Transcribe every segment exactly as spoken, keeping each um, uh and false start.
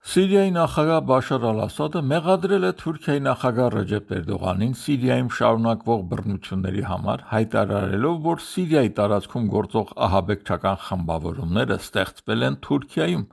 Սիրիայի նախագահ Բաշար Ալ-Ասադը մեղադրել է Թուրքիայի նախագահ Ռեջեփ Էրդողանին Սիրիայում շարունակվող բռնությունների համար, հայտարարելով, որ Սիրիայի տարածքում գործող ահաբեկչական խմբավորումները ստեղծվել են Թուրքիայում։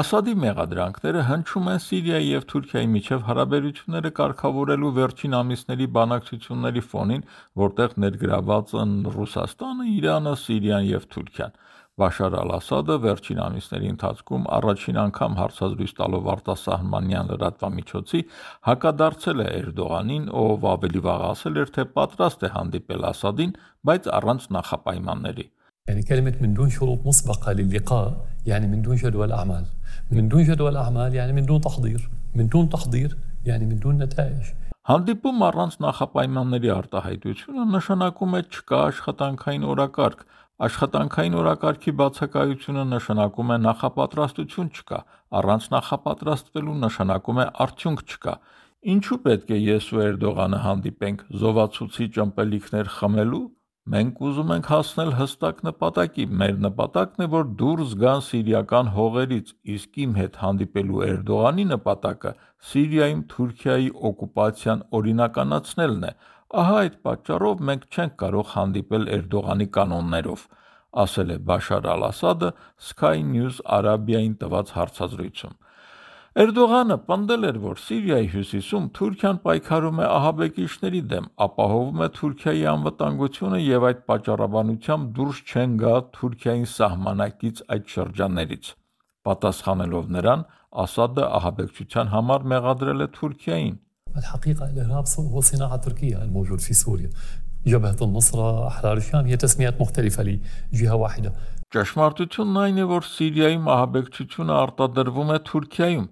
Ասադի մեղադրանքները հնչում են Սիրիայի և Թուրքիայի միջև հարաբերությունները կարգավորելու վերջին ամիսների բանակցությունների ֆոնին, որտեղ ներգրավված են Ռուսաստանը, Իրանը, Սիրիան և Թուրքիան։ Բաշար Ալ-Ասադը վերջին ամիսների ընթացքում առաջին անգամ հարցազրույց տալով արտասահմանյան լրատվամիջոցի հակադարձել է Էրդողանին, ով ավելի վաղ ասել էր, թե պատրաստ է հանդիպել Ասադին, բայց առանց նախապայմանների։ يعني كلمة من دون شروط مسبقة للقاء يعني من دون جدول أعمال من دون جدول أعمال يعني من دون تحضير من دون تحضير يعني من دون نتائج Հանդիպում առանց նախապայմանների արտահայտությունը նշանակում է չկա աշխատանքային օրակարգ, աշխատանքային օրակարգի բացակայությունը նշանակում է նախապատրաստություն չկա, առանց նախապատրաստվելու նշանակում է արդյունք չկա։ Ինչու պետք է ես ու Էրդողանը հանդիպենք զովացուցիչ ըմպելիքներ խմելու։ Մենք ուզում ենք հասնել հստակ նպատակի, մեր նպատակն է, որ դուրս գան սիրիական հողերից, իսկ իմ հետ հանդիպելու Էրդողանի նպատակը Սիրիայում Թուրքիայի օկուպացիան օրինականացնելն է։ Ահա այդ պատճառով մենք չենք կարող հանդիպել Էրդողանի կանոններով, ասել է Բաշար Ալ-Ասադը Sky News Arabia-ին տված հարցազրույցում։ Էրդողանը պնդել էր, որ Սիրիայի հյուսիսում Թուրքիան պայքարում է ահաբեկիչների դեմ, ապահովում է Թուրքիայի անվտանգությունը և այդ պատճառաբանությամբ դուրս չեն գա Թուրքիային սահմանակից այդ շրջաններից։ Պատասխանելով նրան, Ասադը ահաբեկչության համար մեղադրել է Թուրքիային։ الحقيقة الإرهاب هو صناعة تركيا الموجود في سوريا جبهة النصرة أحرار الشام هي تسميات مختلفة لجهة واحدة Ճշմարտությունն այն է, որ Սիրիայում ահաբեկչությունը արտադրվում է Թուրքիայում։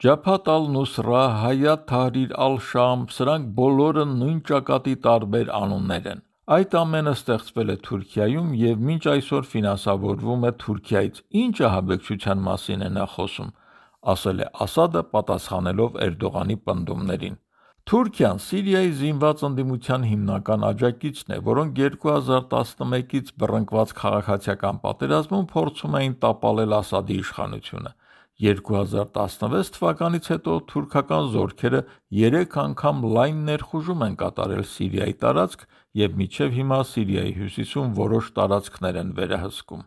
Ջաբհաթ ալ-Նուսրա, Հայաթ Թահրիր ալ-Շամ, սրանք բոլորը նույն ճակատի տարբեր անուններ են։ Այդ ամենը ստեղծվել է Թուրքիայում և մինչ այսօր ֆինանսավորվում է Թուրքիայից։ Ինչ ահաբեկչության մասին է նա խոսում, ասել է Ասադը պատասխանելով Էրդողանի պնդումներին։ Թուրքիան Սիրիայի զինված ընդդիմության հիմնական աջակիցն է, որոնք երկու հազար տասնմեկից բռնկված քաղաքացիական պատերազմում փորձում էին տապալել Ասադի իշխանությունը։ երկու հազար տասնվեց թվականից հետո թուրքական զորքերը երեք անգամ լայն ներխուժում են կատարել Սիրիայի տարածք և մինչև հիմա Սիրիայի հյուսիսում որոշ տարածքներ են վերահսկում։